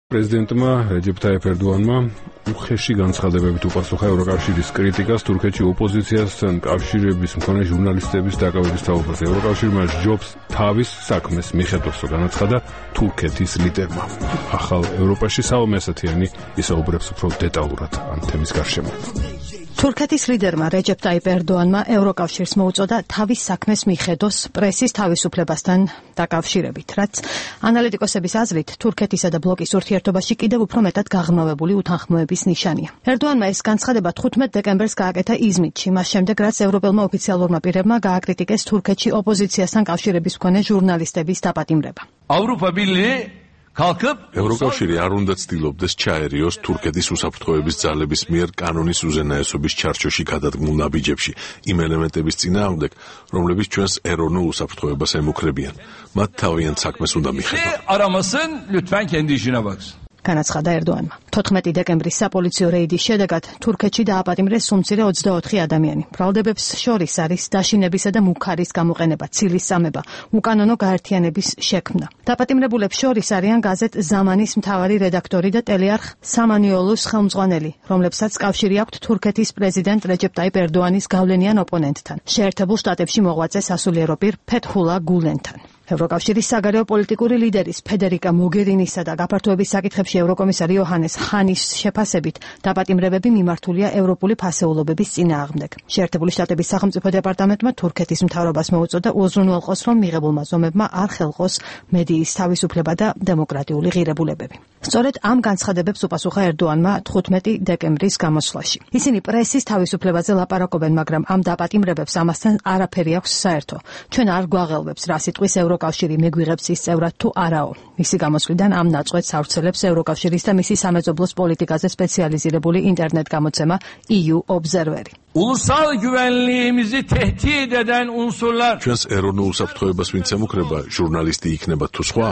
პრეზიდენტმა რეჯეფ ტაიფ ერდოანმა უხეში განცხადებებით უპასუხა ევროკავშირის კრიტიკას თურქეთში ოპოზიციასთან კავშირების მქონე ჟურნალისტების დაკავების თაობაზე. ევროკავშირმა ჯობს თავის საქმეს მიხედვასო განაცხადა თურქეთის ლიდერმა. ახალ ევროპაში საომე ასათიანი ისაუბრებს უფრო დეტალურად ამ თემის გარშემო. თურქეთის ლიდერმა რეჯეფ ტაიფ ერდოანმა ევროკავშირს მოუწოდა თავის საქმეს მიხედოს პრესის თავისუფლებასთან დაკავშირებით, რაც ანალიტიკოსების აზრით თურქეთისა და ბლოკის ურთიერთობაში კიდევ უფრო მეტად გაღრმავებული უთანხმოების ნიშანია. ერდოანმა ეს განცხადება 15 დეკემბერს გააკეთა იზმიტში, მას შემდეგ რაც ევროპელმა ოფიციალურმა პირებმა გააკრიტიკეს თურქეთში ოპოზიციასთან კავშირების მქონე ჟურნალისტების დაპატიმრება. ევროკავშირი არ უნდა ცდილობდეს ჩაერიოს თურქეთის უსაფრთხოების ძალების მიერ კანონის უზენაესობის ჩარჩოში გადადგმულ ნაბიჯებში იმ ელემენტების წინააღმდეგ, რომლებიც ჩვენს ეროვნულ უსაფრთხოებას ემუქრებიან. მათ თავიანთ საქმეს უნდა მიხედონ. განაცხადა ერდოანმა. 14 დეკემბრის საპოლიციო რეიდის შედეგად თურქეთში დააპატიმრეს უმცირე 24 ადამიანი. ბრალდებებს შორის არის დაშინებისა და მუქარის გამოყენება, ცილის წამება, უკანონო გაერთიანების შექმნა. დაპატიმრებულებს შორის არიან გაზეთ ზამანის მთავარი რედაქტორი და ტელეარხ სამანიოლუს ხელმძღვანელი, რომლებსაც კავშირი აქვთ თურქეთის პრეზიდენტ რეჯეფ ტაიფ ერდოანის გავლენიან ოპონენტთან, შეერთებულ შტატებში მოღვაწე სასულიერო პირ ფეთჰულა გულენთან. ევროკავშირის საგარეო პოლიტიკური ლიდერის ფედერიკა მოგერინისა და გაფართოების საკითხებში ევროკომისარი იოჰანეს ჰანის შეფასებით დაპატიმრებები მიმართულია ევროპული ფასეულობების წინააღმდეგ. შეერთებული შტატების სახელმწიფო დეპარტამენტმა თურქეთის მთავრობას მოუწოდა უზრუნველყოს, რომ მიღებულმა ზომებმა არ ხელყოს მედიის თავისუფლება და დემოკრატიული ღირებულებები. სწორედ ამ განცხადებებს უპასუხა ერდოანმა 15 დეკემბრის გამოსვლაში. ისინი პრესის თავისუფლებაზე ლაპარაკობენ, მაგრამ ამ დაპატიმრებებს ამასთან არაფერი აქვს საერთო. ჩვენ არ გვაღელვებს რა სიტყვის ევროკავშირი მეგვიღებს ის წევრად თუ არაო. მისი გამოსვლიდან ამ ნაწყვეტს ავრცელებს ევროკავშირის და მისი სამეზობლოს პოლიტიკაზე სპეციალიზირებული ინტერნეტ გამოცემა EU Observer-ი. Ulusal güvenliğimizi tehdit eden unsurlar. ჩვენს ეროვნულ უსაფრთხოებას ვინც ემუქრება, ჟურნალისტი იქნება თუ სხვა,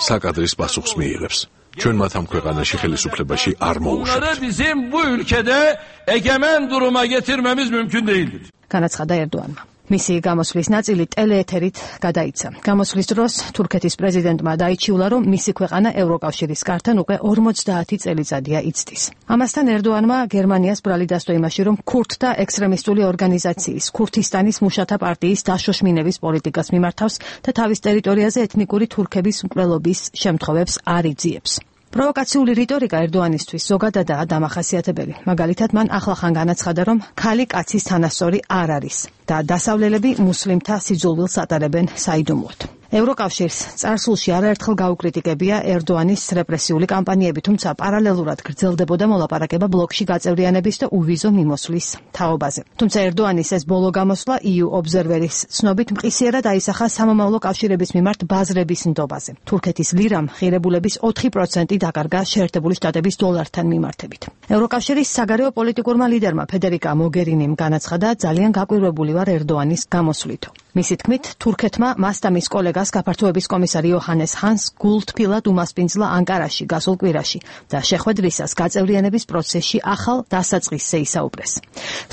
საკადრის პასუხს მიიღებს. ჩვენ მათ ამ ქვეყანაში ხელისუფლებაში არ მოუშვებთ. Onları bizim bu ülkede egemen duruma getirmemiz mümkün değildir. განაცხადა ერდოანმა. მისი გამოსვლის ნაწილი ტელეეთერით გადაიცა. გამოსვლის დროს თურქეთის პრეზიდენტმა დაიჩიულა, რომ მისი ქვეყანა ევროკავშირის კართან უკვე 50 წელიწადია იცდის. ამასთან ერდოანმა გერმანიას ბრალი დასდო იმაში, რომ ქურთთა ექსტრემისტული ორგანიზაციის, ქურთისტანის მუშათა პარტიის დაშოშმინების პოლიტიკას მიმართავს და თავის ტერიტორიაზე ეთნიკური თურქების მკვლელობის შემთხვევებს არ იძიებს. პროვოკაციული რიტორიკა ერდოანისთვის ზოგადადაა დამახასიათებელი. მაგალითად, მან ახლახან განაცხადა, რომ ქალი კაცის თანასწორი არ არის და დასავლელები მუსლიმთა სიძულვილს ატარებენ საიდუმლოდ. ევროკავშირს წარსულში არაერთხელ გაუკრიტიკებია ერდოანის რეპრესიული კამპანიები, თუმცა პარალელურად გრძელდებოდა მოლაპარაკება ბლოკში გაწევრიანების და უვიზო მიმოსვლის თაობაზე. თუმცა ერდოანის ეს ბოლო გამოსვლა EU Observer-ის ცნობით მყისიერად აისახა სამომავლო კავშირების მიმართ ბაზრების ნდობაზე. თურქეთის ლირამ ღირებულების 4% დაკარგა შეერთებული შტატების დოლართან მიმართებით. ევროკავშირის საგარეო პოლიტიკურმა ლიდერმა ფედერიკა მოგერინიმ განაცხადა, ძალიან გაკვირვებული ვარ ერდოანის გამოსვლითო. მისი თქმით, თურქეთმა მას და მის კოლეგას გაფართოების კომისარი იოჰანეს ჰანს გულთბილად უმასპინძლა ანკარაში გასულ კვირაში და შეხვედრისას გაწევრიანების პროცესში ახალ დასაწყისზე ისაუბრეს.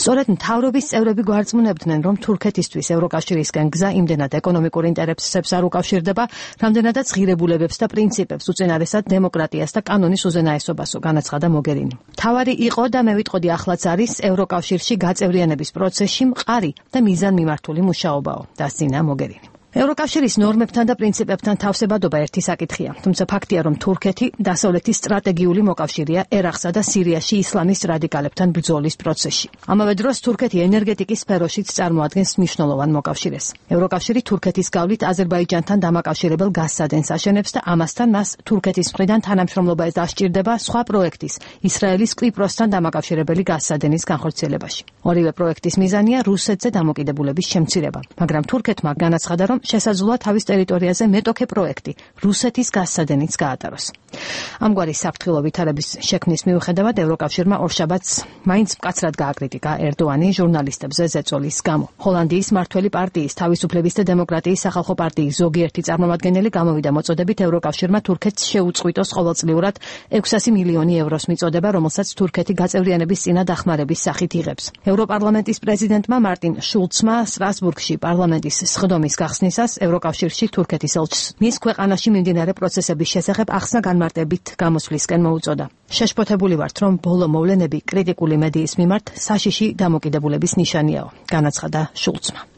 სწორედ მთავრობის წევრები გვარწმუნებდნენ, რომ თურქეთისთვის ევროკავშირისკენ გზა იმდენად ეკონომიკურ ინტერესებს არ უკავშირდება, რამდენადაც ღირებულებებს და პრინციპებს უწინარესად დემოკრატიას და კანონის უზენაესობასო, განაცხადა მოგერინი. თავარი იყო და მე ვიტყოდი ახლაც არის ევროკავშირში გაწევრიანების პროცესში მყარი და მიზანმიმართული მუშაობაო, დასძინა მოგერინი. ევროკავშირის ნორმებთან და პრინციპებთან თავსებადობა ერთი საკითხია, თუმცა ფაქტია, რომ თურქეთი დასავლეთის სტრატეგიული მოკავშირეა ერაყსა და სირიაში ისლამის რადიკალებთან ბრძოლის პროცესში. ამავე დროს თურქეთი ენერგეტიკის სფეროშიც წარმოადგენს მნიშვნელოვან მოკავშირეს. ევროკავშირი თურქეთის გავლით აზერბაიჯანთან დამაკავშირებელ გაზსადენს აშენებს და ამასთან მას თურქეთის მხრიდან თანამშრომლობა დასჭირდება სხვა პროექტის, ისრაელის კვიპროსთან დამაკავშირებელი გაზსადენის განხორციელებაში. ორივე პროექტის მიზანია რუსეთზე დამოკიდებულების შემცირება, მაგრამ თურქეთმა განაცხადა, რომ შესაძლოა თავის ტერიტორიაზე მეტოქე პროექტი რუსეთის გაზსადენიც გაატაროს. ამგვარი საფრთხილო ვითარების შექმნის მიუხედავად ევროკავშირმა ორშაბათს მაინც მკაცრად გააკრიტიკა ერდოანი ჟურნალისტებზე ზეწოლის გამო. ჰოლანდიის მართველი პარტიის თავისუფლების და დემოკრატიის სახალხო პარტიის ზოგიერთი წარმომადგენელი გამოვიდა მოწოდებით ევროკავშირმა თურქეთს შეუწყვიტოს ყოველწლიურად 600 მილიონი ევროს მიწოდება, რომელსაც თურქეთი გაწევრიანების წინა დახმარების სახით იღებს. ევროპარლამენტის პრეზიდენტმა მარტინ შულცმა სტრასბურგში პარლამენტის სხდომის გახსნისას ევროკავშირში თურქეთის ელჩს მის ქვეყანაში მიმდინარე პროცესების შესახებ ახსნა განმარტება ექსპერტებით გამოსვლისკენ მოუწოდა. შეშფოთებული ვართ, რომ ბოლო მოვლენები კრიტიკული მედიის მიმართ საშიში დამოკიდებულების ნიშანიაო, განაცხადა შულცმა.